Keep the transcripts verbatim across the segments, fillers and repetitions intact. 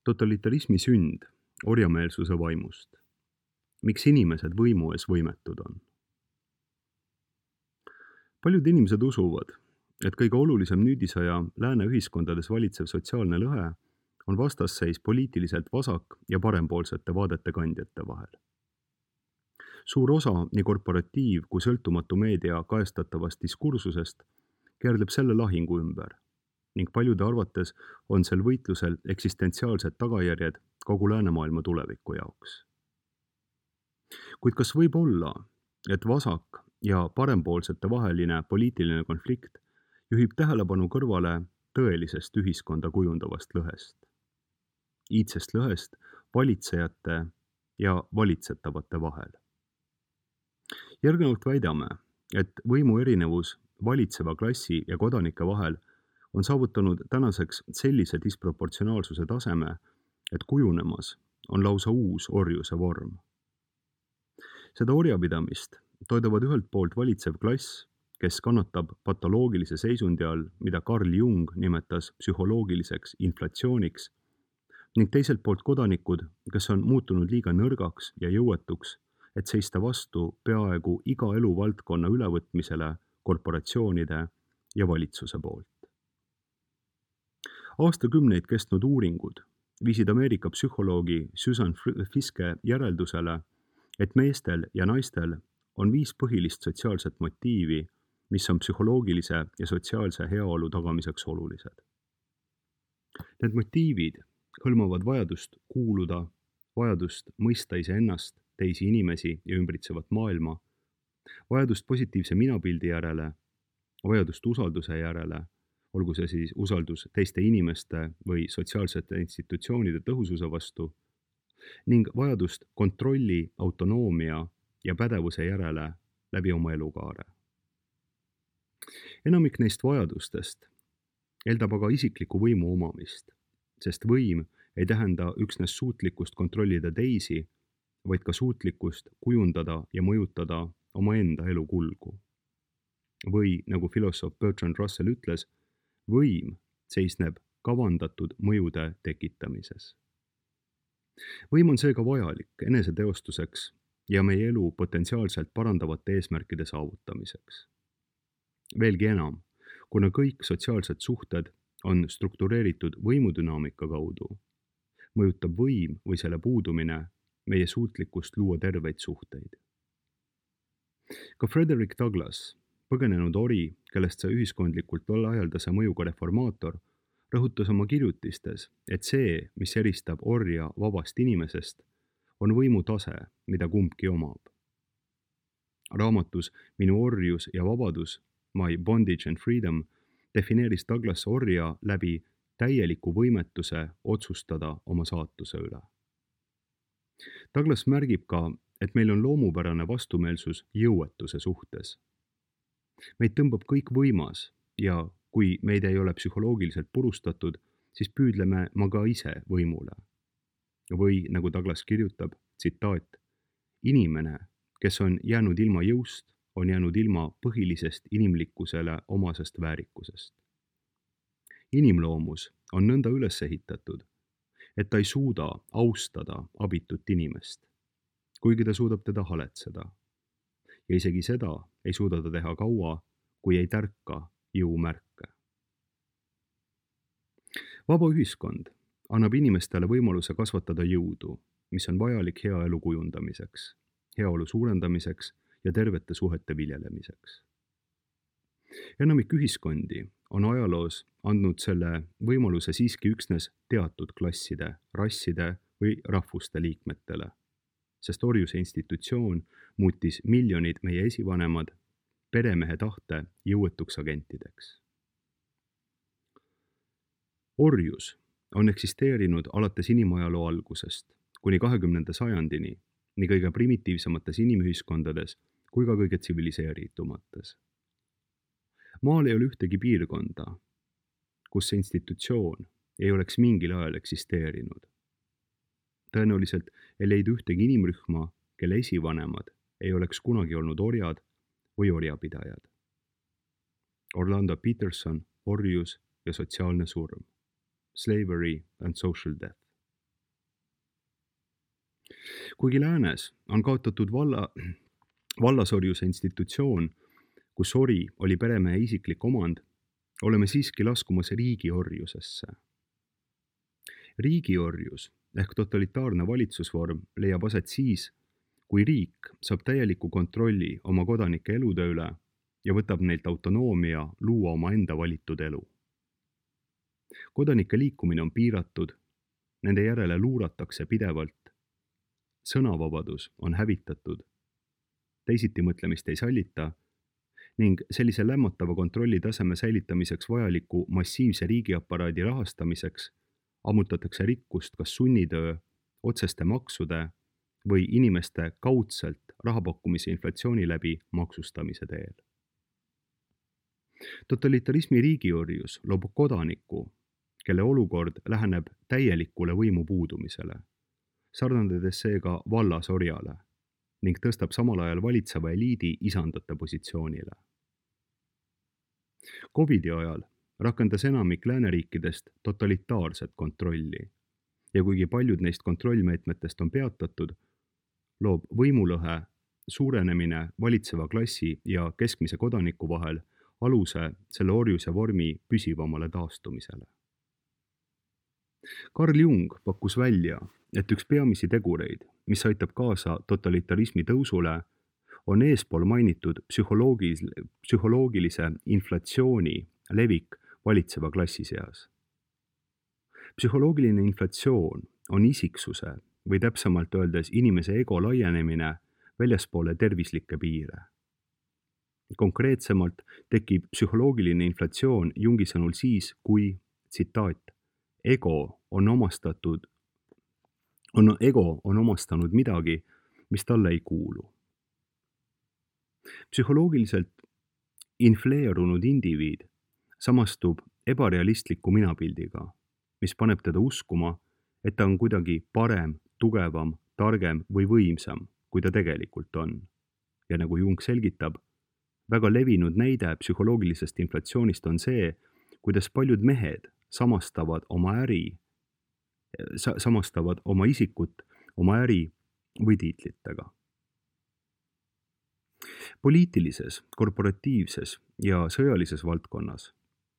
Totalitarismi sünd orjameelsuse vaimust. Miks inimesed võimu ees võimetud on? Paljud inimesed usuvad, et kõige olulisem nüüdisaja lääne ühiskondades valitsev sotsiaalne lõhe on vastasseis poliitiliselt vasak- ja parempoolsete vaadete kandjate vahel. Suur osa nii korporatiiv- kui sõltumatu meedia kaestatavast diskursusest keerleb selle lahingu ümber ning paljude arvates on sel võitlusel eksistentsiaalsed tagajärjed kogu läänemaailma tuleviku jaoks. Kuid kas võib olla, et vasak- ja parempoolsete vaheline poliitiline konflikt juhib tähelepanu kõrvale tõelisest ühiskonda kujundavast lõhest? Iidsest lõhest valitsejate ja valitsetavate vahel. Järgnevalt väidame, et võimu erinevus valitseva klassi ja kodanike vahel on saavutanud tänaseks sellise disproportsionaalsuse taseme, et kujunemas on lausa uus orjuse vorm. Seda orjapidamist toidavad ühelt poolt valitsev klass, kes kannatab patoloogilise seisundi all, mida Carl Jung nimetas psühholoogiliseks inflatsiooniks, ning teiselt poolt kodanikud, kes on muutunud liiga nõrgaks ja jõuetuks, et seista vastu peaaegu iga eluvaldkonna ülevõtmisele korporatsioonide ja valitsuse poolt. Aastakümneid kestnud uuringud viisid Ameerika psühholoogi Susan Fiske järeldusele, et meestel ja naistel on viis põhilist sotsiaalset motiivi, mis on psühholoogilise ja sotsiaalse heaolu tagamiseks olulised. Need motiivid hõlmavad vajadust kuuluda, vajadust mõista iseennast, teisi inimesi ja ümbritsevat maailma, vajadust positiivse minapildi järele, vajadust usalduse järele, olgu see siis usaldus teiste inimeste või sotsiaalsete institutsioonide tõhususe vastu, ning vajadust kontrolli, autonoomia ja pädevuse järele läbi oma elukaare. Enamik neist vajadustest eeldab aga isikliku võimu omamist, sest võim ei tähenda üksnes suutlikkust kontrollida teisi, vaid ka suutlikkust kujundada ja mõjutada omaenda elu kulgu. Või, nagu filosoof Bertrand Russell ütles, võim seisneb kavandatud mõjude tekitamises. Võim on seega vajalik eneseteostuseks ja meie elu potentsiaalselt parandavate eesmärkide saavutamiseks. Veelgi enam, kuna kõik sotsiaalsed suhted on struktureeritud võimudünaamika kaudu, mõjutab võim või selle puudumine meie suutlikkust luua terveid suhteid. Ka Frederick Douglass, põgenenud ori, kellest sai ühiskondlikult laialdase mõjuga reformaator, rõhutas oma kirjutistes, et see, mis eristab orja vabast inimesest, on võimu tase, mida kumbki omab. Raamatus Minu orjus ja vabadus, My Bondage and Freedom, defineeris Douglas orja läbi täieliku võimetuse otsustada oma saatuse üle. Douglas märgib ka, et meil on loomupärane vastumeelsus jõuetuse suhtes. Meid tõmbab kõik võimas ja kui meid ei ole psühholoogiliselt purustatud, siis püüdleme ma ka ise võimule. Või, nagu Douglas kirjutab, tsitaat, inimene, kes on jäänud ilma jõust, on jäänud ilma põhilisest inimlikkusele omasest väärikusest. Inimloomus on nõnda üles ehitatud, et ta ei suuda austada abitut inimest, kuigi ta suudab teda haletseda. Ja isegi seda ei suuda ta teha kaua, kui ei tärka jõumärke. Vaba ühiskond annab inimestele võimaluse kasvatada jõudu, mis on vajalik hea elu kujundamiseks, heaolu suurendamiseks ja tervete suhete viljelemiseks. Enamik ühiskondi on ajaloos andnud selle võimaluse siiski üksnes teatud klasside, rasside või rahvuste liikmetele, sest orjuse institutsioon muutis miljonid meie esivanemad peremehe tahte jõuetuks agentideks. Orjus on eksisteerinud alates inimajaloo algusest kuni kahekümnenda sajandini nii kõige primitiivsemates inimühiskondades kui ka kõige tsiviliseeritumates. Maal ei ole ühtegi piirkonda, kus see institutsioon ei oleks mingil ajal eksisteerinud. Tõenäoliselt ei leidu ühtegi inimrühma, kelle esivanemad ei oleks kunagi olnud orjad või orjapidajad. Orlando Peterson, Orjus ja sotsiaalne surm. Slavery and social death. kuigi läänes on kaotatud valla, vallasorjuse institutsioon, kus ori oli peremehe isiklik omand, oleme siiski laskumas riigiorjusesse. Riigiorjus ehk totalitaarne valitsusvorm leiab aset siis, kui riik saab täieliku kontrolli oma kodanike elude üle ja võtab neilt autonoomia luua oma enda valitud elu. Kodanike liikumine on piiratud, nende järele luuratakse pidevalt, sõnavabadus on hävitatud, teisitimõtlemist ei sallita ning sellise lämmatava kontrolli taseme säilitamiseks vajaliku massiivse riigiaparaadi rahastamiseks ammutatakse rikkust kas sunnitöö, otseste maksude või inimeste kaudselt rahapakkumise inflatsiooni läbi maksustamise teel. Totalitarismi riigiorjus loob kodaniku, kelle olukord läheneb täielikule võimu puudumisele, sarnandades seega vallasorjale ning tõstab samal ajal valitseva eliidi isandate positsioonile. Covidi ajal rakendas enamik lääneriikidest totalitaarset kontrolli ja kuigi paljud neist kontrollmeetmetest on peatatud, loob võimulõhe suurenemine valitseva klassi ja keskmise kodaniku vahel aluse selle orjuse vormi püsivamale taastumisele. Carl Jung pakkus välja, et üks peamisi tegureid, mis aitab kaasa totalitarismi tõusule, on eespool mainitud psühholoogis, psühholoogilise inflatsiooni levik valitseva klassi seas. Psühholoogiline inflatsioon on isiksuse või täpsemalt öeldes inimese ego laienemine väljaspoole tervislikke piire. Konkreetsemalt tekib psühholoogiline inflatsioon Jungi sõnul siis, kui, tsitaat, ego on omastatud, on, ego on omastanud midagi, mis talle ei kuulu. Psühholoogiliselt infleerunud indiviid samastub ebarealistliku minapildiga, mis paneb teda uskuma, et ta on kuidagi parem, tugevam, targem või võimsam, kui ta tegelikult on. Ja nagu Jung selgitab, väga levinud näide psühholoogilisest inflatsioonist on see, kuidas paljud mehed samastavad oma äri, sa- samastavad oma isikut, oma äri või tiitlitega. Poliitilises, korporatiivses ja sõjalises valdkonnas,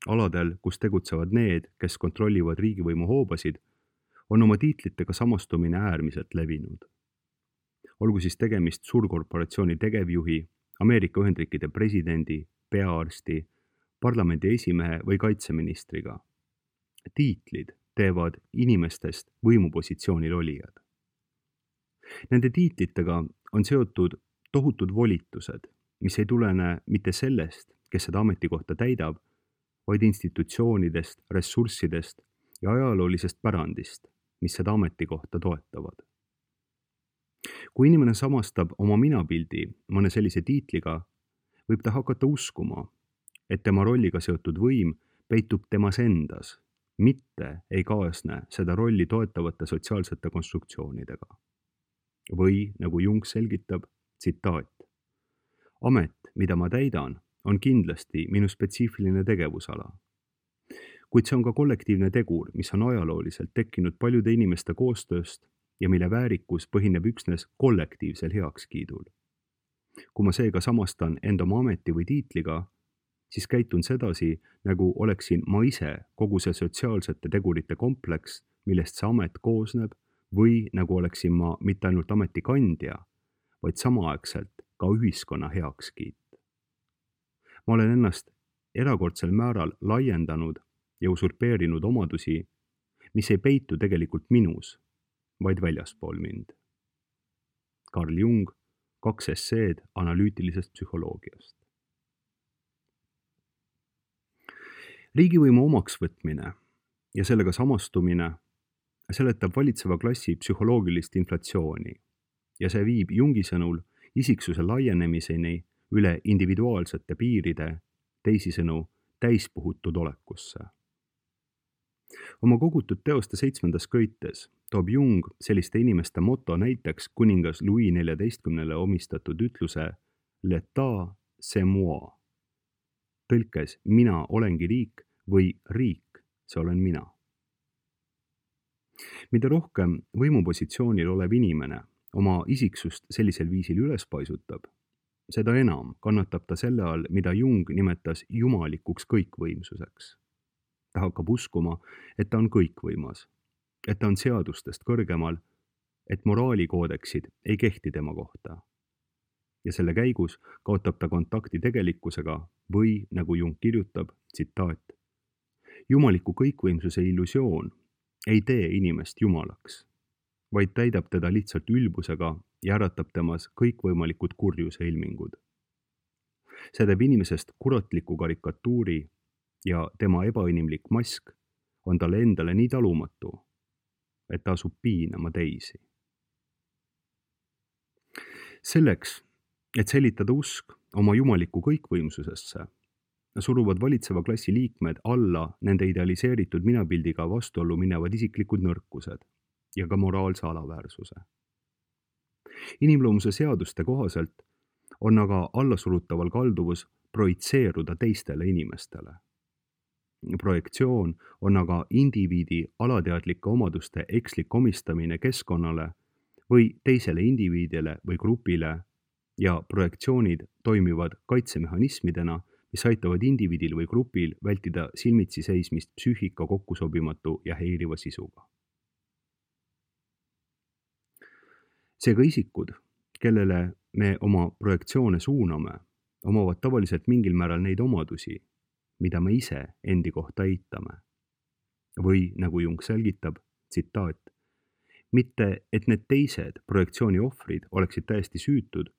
aladel, kus tegutsevad need, kes kontrollivad riigivõimu hoobasid, on oma tiitlitega samastumine äärmiselt levinud. Olgu siis tegemist suurkorporatsiooni tegevjuhi, Ameerika Ühendriikide presidendi, peaarsti, parlamendi esimehe või kaitseministriga. Tiitlid teevad inimestest võimupositsioonil olijad. Nende tiitlitega on seotud tohutud volitused, mis ei tulene mitte sellest, kes seda ametikohta täidab, vaid institutsioonidest, ressurssidest ja ajaloolisest pärandist, mis seda ametikohta toetavad. Kui inimene samastab oma minapildi mõne sellise tiitliga, võib ta hakata uskuma, et tema rolliga seotud võim peitub temas endas, mitte ei kaasne seda rolli toetavate sotsiaalsete konstruktsioonidega. Või, nagu Jung selgitab, tsitaat, amet, mida ma täidan, on kindlasti minu spetsiifiline tegevusala. Kuid see on ka kollektiivne tegur, mis on ajalooliselt tekkinud paljude inimeste koostööst ja mille väärikus põhineb üksnes kollektiivsel heakskiidul. Kui ma seega samastan enda oma ameti või tiitliga, siis käitun sedasi, nagu oleksin ma ise kogu see sotsiaalsete tegurite kompleks, millest see amet koosneb, või nagu oleksin ma mitte ainult ametikandja, vaid samaaegselt ka ühiskonna heakskiit. Ma olen ennast erakordsel määral laiendanud ja usurpeerinud omadusi, mis ei peitu tegelikult minus, vaid väljaspool mind. Carl Jung, kaks esseed analüütilisest psühholoogiast. Riigivõimu omaksvõtmine ja sellega samastumine seletab valitseva klassi psühholoogilist inflatsiooni ja see viib Jungi sõnul isiksuse laienemiseni üle individuaalsete piiride, teisisõnu täispuhutud olekusse. Oma kogutud teoste seitsmendas köites toob Jung selliste inimeste moto näiteks kuningas Louis neljateistkümnele omistatud ütluse L'État, c'est moi. Tõlkes mina olengi riik või riik, see olen mina. Mida rohkem võimupositsioonil olev inimene oma isiksust sellisel viisil üles paisutab, seda enam kannatab ta selle all, mida Jung nimetas jumalikuks kõikvõimsuseks. Ta hakkab uskuma, et ta on kõikvõimas, et ta on seadustest kõrgemal, et moraalikoodeksid ei kehti tema kohta. Ja selle käigus kaotab ta kontakti tegelikkusega või, nagu Jung kirjutab, tsitaat, jumaliku kõikvõimsuse illusioon ei tee inimest jumalaks, vaid täidab teda lihtsalt ülbusega ja äratab temas kõikvõimalikud kurjuse ilmingud. See teeb inimesest kuratliku karikatuuri ja tema ebainimlik mask on talle endale nii talumatu, et ta asub piinama teisi. Selleks, et säilitada usk oma jumaliku kõikvõimsusesse, suruvad valitseva klassi liikmed alla nende idealiseeritud minapildiga vastuollu minevad isiklikud nõrkused ja ka moraalse alaväärsuse. Inimloomuse seaduste kohaselt on aga allasurutaval kalduvus projitseeruda teistele inimestele. Projektsioon on aga indiviidi alateadlike omaduste ekslik omistamine keskkonnale või teisele indiviidile või grupile ja projektsioonid toimivad kaitsemehhanismidena, mis aitavad indiviidil või grupil vältida silmitsi seismist psüühika kokkusobimatu ja häiriva sisuga. Seega isikud, kellele me oma projektsioone suuname, omavad tavaliselt mingil määral neid omadusi, mida me ise endi kohta eitame. Või, nagu Jung selgitab, tsitaat, mitte et need teised projektsiooni ohvrid oleksid täiesti süütud,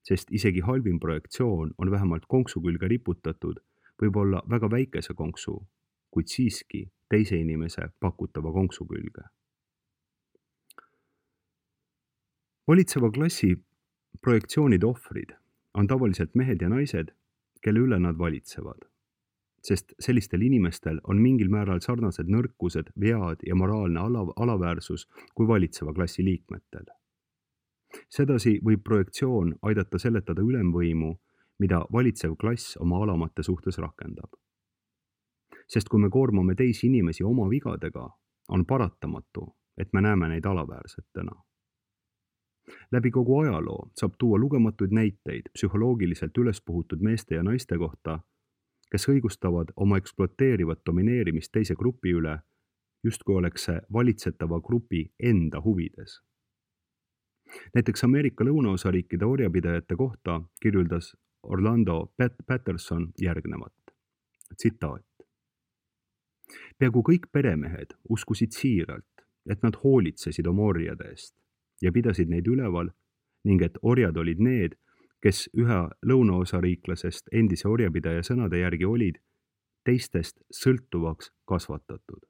sest isegi halvim projektsioon on vähemalt konksu külge riputatud, võib olla väga väikese konksu, kuid siiski teise inimese pakutava konksu külge. Valitseva klassi projektsioonide ohvrid on tavaliselt mehed ja naised, kelle üle nad valitsevad, sest sellistel inimestel on mingil määral sarnased nõrkused, vead ja moraalne ala- alaväärsus kui valitseva klassi liikmetel. Sedasi võib projektsioon aidata seletada ülemvõimu, mida valitsev klass oma alamate suhtes rakendab. Sest kui me koormame teisi inimesi oma vigadega, on paratamatu, et me näeme neid alaväärsetena. Läbi kogu ajaloo saab tuua lugematuid näiteid psühholoogiliselt üles puhutud meeste ja naiste kohta, kes õigustavad oma ekspluateerivat domineerimist teise grupi üle, justkui oleks see valitsetava grupi enda huvides. Näiteks Ameerika lõunaosariikide orjapidajate kohta kirjeldas Orlando Patterson järgnevat. Tsitaat. Peaaegu kõik peremehed uskusid siiralt, et nad hoolitsesid oma orjade eest ja pidasid neid üleval ning et orjad olid need, kes ühe lõunaosariiklasest endise orjapidaja sõnade järgi olid teistest sõltuvaks kasvatatud.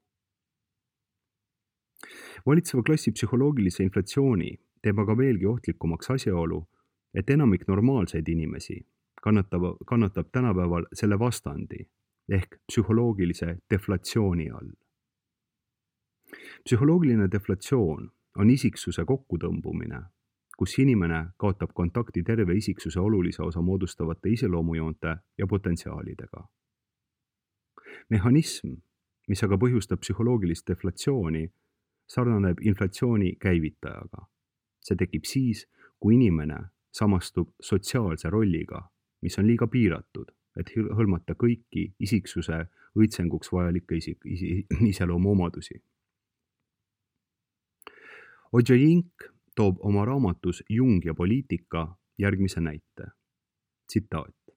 Valitseva klassi psühholoogilise inflatsiooni teeb aga veelgi ohtlikumaks asjaolu, et enamik normaalseid inimesi kannatab, kannatab tänapäeval selle vastandi ehk psühholoogilise deflatsiooni all. Psühholoogiline deflatsioon on isiksuse kokkutõmbumine, kus inimene kaotab kontakti terve isiksuse olulise osa moodustavate iseloomujoonte ja potentsiaalidega. Mehhanism, mis aga põhjustab psühholoogilist deflatsiooni, sarnaneb inflatsiooni käivitajaga. See tekib siis, kui inimene samastub sotsiaalse rolliga, mis on liiga piiratud, et hõlmata kõiki isiksuse õitsenguks vajalikke isik, isi, iseloomu omadusi. Ojjink toob oma raamatus Jung ja poliitika järgmise näite. Tsitaat.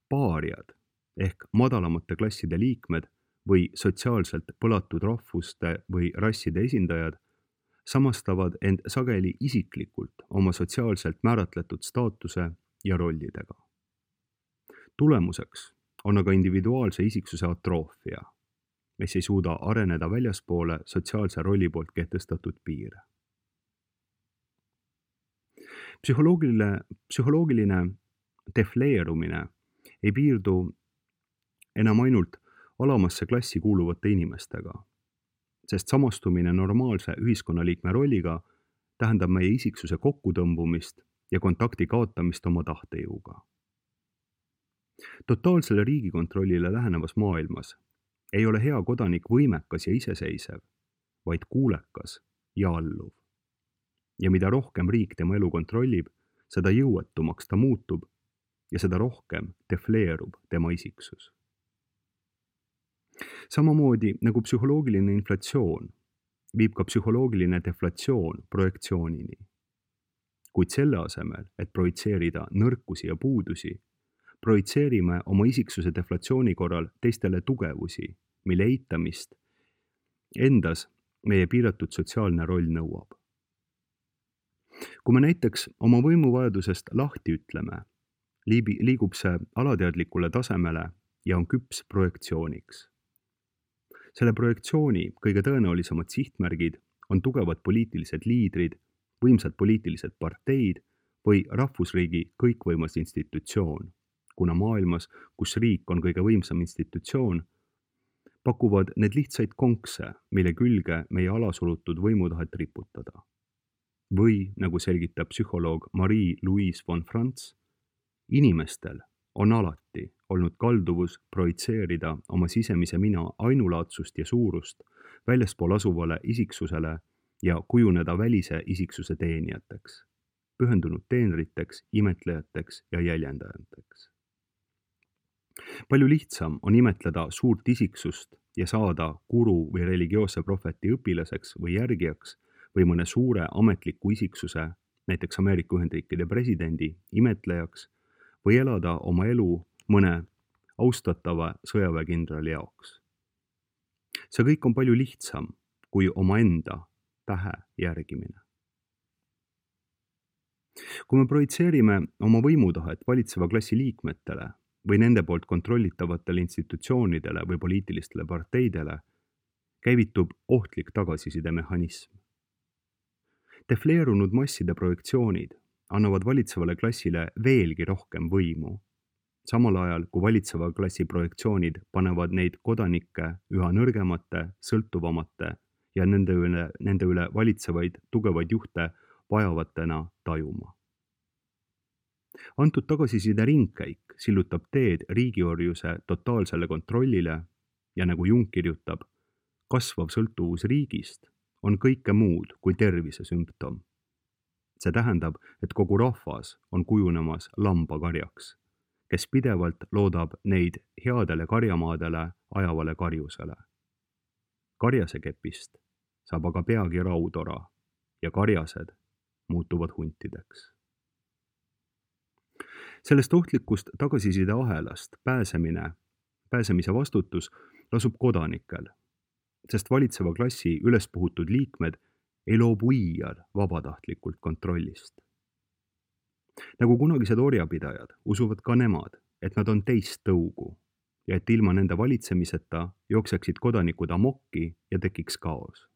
Paariad ehk madalamate klasside liikmed või sotsiaalselt põlatud rahvuste või rasside esindajad samastavad end sageli isiklikult oma sotsiaalselt määratletud staatuse ja rollidega. Tulemuseks on aga individuaalse isiksuse atroofia, mis ei suuda areneda väljaspoole sotsiaalse rolli poolt kehtestatud piire. Psühholoogiline, psühholoogiline defleerumine ei piirdu enam ainult alamasse klassi kuuluvate inimestega, sest samastumine normaalse ühiskonnaliikme rolliga tähendab meie isiksuse kokkutõmbumist ja kontakti kaotamist oma tahtejõuga. Totaalsele riigikontrollile lähenevas maailmas ei ole hea kodanik võimekas ja iseseisev, vaid kuulekas ja alluv. ja mida rohkem riik tema elu kontrollib, seda jõuetumaks ta muutub ja seda rohkem defleerub tema isiksus. Samamoodi nagu psühholoogiline inflatsioon viib ka psühholoogiline deflatsioon projektsioonini. Kuid selle asemel, et projitseerida nõrkusi ja puudusi, projitseerime oma isiksuse deflatsiooni korral teistele tugevusi, mille eitamist endas meie piiratud sotsiaalne roll nõuab. Kui me näiteks oma võimuvajadusest lahti ütleme, liigub see alateadlikule tasemele ja on küps projektsiooniks. Selle projektsiooni kõige tõenäolisemad sihtmärgid on tugevad poliitilised liidrid, võimsad poliitilised parteid või rahvusriigi kõikvõimas institutsioon, kuna maailmas, kus riik on kõige võimsam institutsioon, pakuvad need lihtsaid konkse, mille külge meie alasurutud võimutahet riputada. Või, nagu selgitab psühholoog Marie-Louise von Franz, inimestel on alati olnud kalduvus projitseerida oma sisemise mina ainulaadsust ja suurust väljaspool asuvale isiksusele ja kujuneda välise isiksuse teenijateks, pühendunud teenriteks, imetlejateks ja jäljendajateks. Palju lihtsam on imetleda suurt isiksust ja saada guru või religioosse prohveti õpilaseks või järgijaks või mõne suure ametliku isiksuse, näiteks Ameerika Ühendriikide presidendi, imetlejaks või elada oma elu mõne austatava sõjaväekindrali jaoks. See kõik on palju lihtsam kui omaenda tähe järgimine. Kui me projitseerime oma võimutahet valitseva klassi liikmetele või nende poolt kontrollitavatele institutsioonidele või poliitilistele parteidele, käivitub ohtlik tagasisidemehhanism. Defleerunud masside projektsioonid annavad valitsevale klassile veelgi rohkem võimu, samal ajal kui valitseva klassi projektsioonid panevad neid kodanikke üha nõrgemate, sõltuvamate ja nende üle, nende üle valitsevaid tugevaid juhte vajavatena tajuma. Antud tagasiside ringkäik sillutab teed riigiorjuse totaalsele kontrollile ja nagu Jung kirjutab, kasvav sõltuvus riigist on kõike muud kui tervise sümptom. See tähendab, et kogu rahvas on kujunemas lambakarjaks, kes pidevalt loodab neid headele karjamaadele ajavale karjusele. Karjase kepist saab aga peagi raudora ja karjased muutuvad huntideks. Sellest ohtlikust tagasiside ahelast pääsemine, pääsemise vastutus lasub kodanikel, sest valitseva klassi ülespuhutud liikmed ei loobu iial vabatahtlikult kontrollist. Nagu kunagised orjapidajad usuvad ka nemad, et nad on teist tõugu ja et ilma nende valitsemiseta jookseksid kodanikud amokki ja tekiks kaos.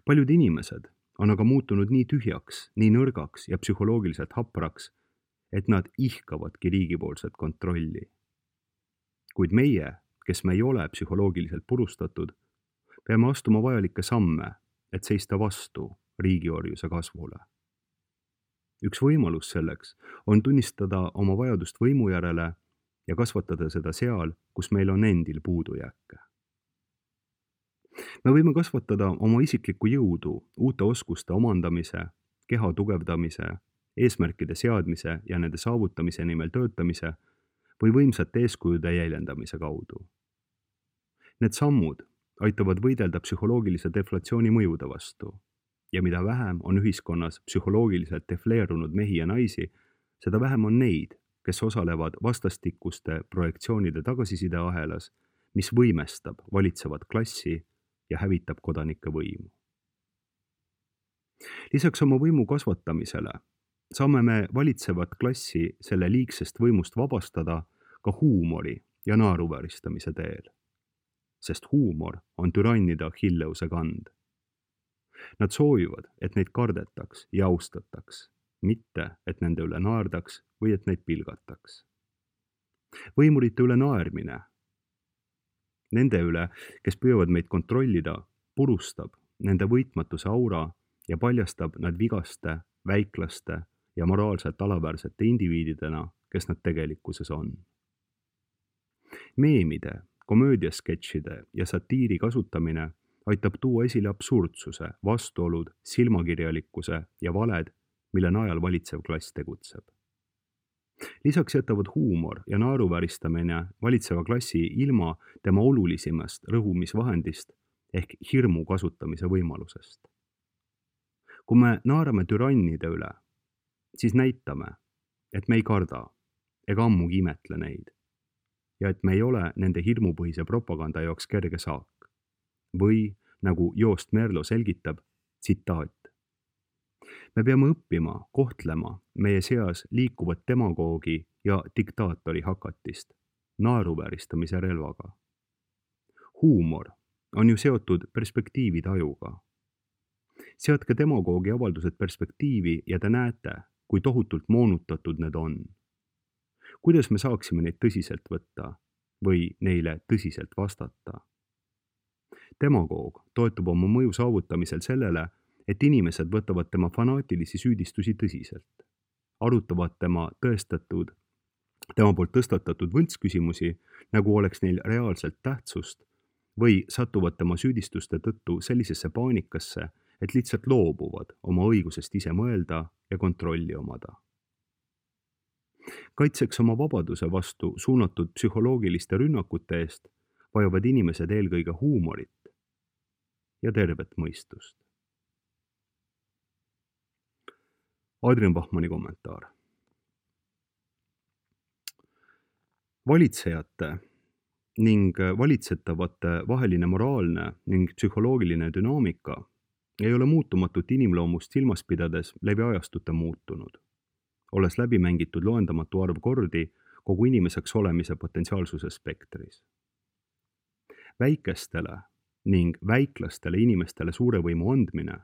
Paljud inimesed on aga muutunud nii tühjaks, nii nõrgaks ja psühholoogiliselt hapraks, et nad ihkavadki riigipoolset kontrolli. Kuid meie, kes me ei ole psühholoogiliselt purustatud, peame astuma vajalikke samme, et seista vastu riigiorjuse kasvule. Üks võimalus selleks on tunnistada oma vajadust võimu järele ja kasvatada seda seal, kus meil on endil puudujääke. Me võime kasvatada oma isiklikku jõudu uute oskuste omandamise, keha tugevdamise, eesmärkide seadmise ja nende saavutamise nimel töötamise või võimsate eeskujude jäljendamise kaudu. Need sammud aitavad võidelda psühholoogilise deflatsiooni mõjude vastu ja mida vähem on ühiskonnas psühholoogiliselt defleerunud mehi ja naisi, seda vähem on neid, kes osalevad vastastikuste projektsioonide tagasiside ahelas, mis võimestab valitsevat klassi ja hävitab kodanike võimu. Lisaks oma võimu kasvatamisele saame me valitsevat klassi selle liigsest võimust vabastada ka huumori ja naeruvääristamise teel, sest huumor on türannide Achilleuse kand. Nad soovivad, et neid kardetaks ja austataks, mitte et nende üle naerdaks või et neid pilgataks. Võimurite üle naermine, nende üle, kes püüavad meid kontrollida, purustab nende võitmatuse aura ja paljastab nad vigaste, väiklaste ja moraalselt alaväärsete indiviididena, kes nad tegelikkuses on. Meemide, komöödiasketšide ja satiiri kasutamine aitab tuua esile absurdsuse, vastuolud, silmakirjalikkuse ja valed, mille najal valitsev klass tegutseb. Lisaks jätavad huumor ja naeruvääristamine valitseva klassi ilma tema olulisimast rõhumisvahendist ehk hirmu kasutamise võimalusest. Kui me naerame türannide üle, siis näitame, et me ei karda ega ammugi imetle neid ja et me ei ole nende hirmupõhise propaganda jaoks kerge saak. Või, nagu Joost Merlo selgitab, tsitaat. Me peame õppima kohtlema meie seas liikuvat demagoogi ja diktaatori hakatist naeruvääristamise relvaga. Huumor on ju seotud perspektiivitajuga. Seadke demagoogi avaldused perspektiivi ja te näete, kui tohutult moonutatud need on. Kuidas me saaksime neid tõsiselt võtta või neile tõsiselt vastata? Demagoog toetub oma mõju saavutamisel sellele, et inimesed võtavad tema fanaatilisi süüdistusi tõsiselt, arutavad tema tõestatud, tema poolt tõstatatud võltsküsimusi, nagu oleks neil reaalselt tähtsust, või satuvad tema süüdistuste tõttu sellisesse paanikasse, et lihtsalt loobuvad oma õigusest ise mõelda ja kontrolli omada. Kaitseks oma vabaduse vastu suunatud psühholoogiliste rünnakute eest vajavad inimesed eelkõige huumorit ja tervet mõistust. Adrian Bachmanni kommentaar. Valitsejate ning valitsetavate vaheline moraalne ning psühholoogiline dünaamika ei ole muutumatut inimloomust silmas pidades läbi ajastute muutunud, olles läbi mängitud loendamatu arv kordi kogu inimeseks olemise potentsiaalsuse spektris. Väikestele ning väiklastele inimestele suure võimu andmine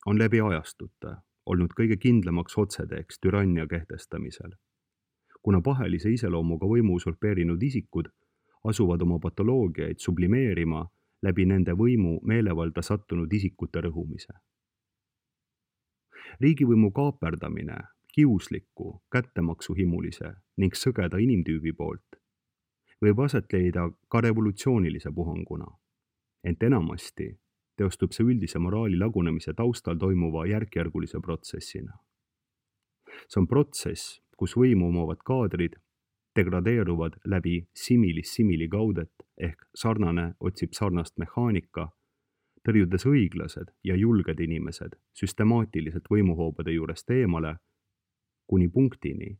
on läbi ajastute olnud kõige kindlamaks otseteeks türannia kehtestamisel, kuna pahelise iseloomuga võimu usurpeerinud isikud asuvad oma patoloogiaid sublimeerima läbi nende võimu meelevalda sattunud isikute rõhumise. Riigivõimu kaaperdamine kiusliku, kättemaksuhimulise ning sõgeda inimtüübi poolt võib aset leida ka revolutsioonilise puhanguna, ent enamasti teostub see üldise moraali lagunemise taustal toimuva järkjärgulise protsessina. See on protsess, kus võimu omavad kaadrid degradeeruvad läbi similis simili kaudet ehk sarnane otsib sarnast mehaanika, tõrjudes õiglased ja julged inimesed süstemaatiliselt võimuhoobade juurest eemale kuni punktini,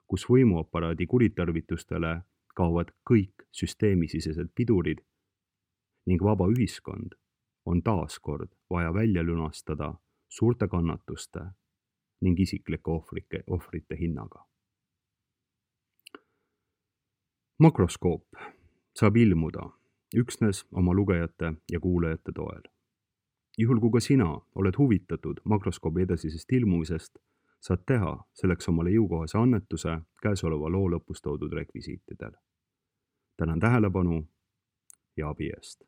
kus võimuaparaadi kuritarvitustele kaovad kõik süsteemisisesed pidurid ning vaba ühiskond on taaskord vaja välja lunastada suurte kannatuste ning isiklike ohvrike, ohvrite hinnaga. Makroskoop saab ilmuda üksnes oma lugejate ja kuulajate toel. Juhul kui ka sina oled huvitatud makroskoobi edasisest ilmumisest, saad teha selleks omale jõukohase annetuse käesoleva loo lõpus toodud rekvisiitidel. Tänan tähelepanu ja abi eest.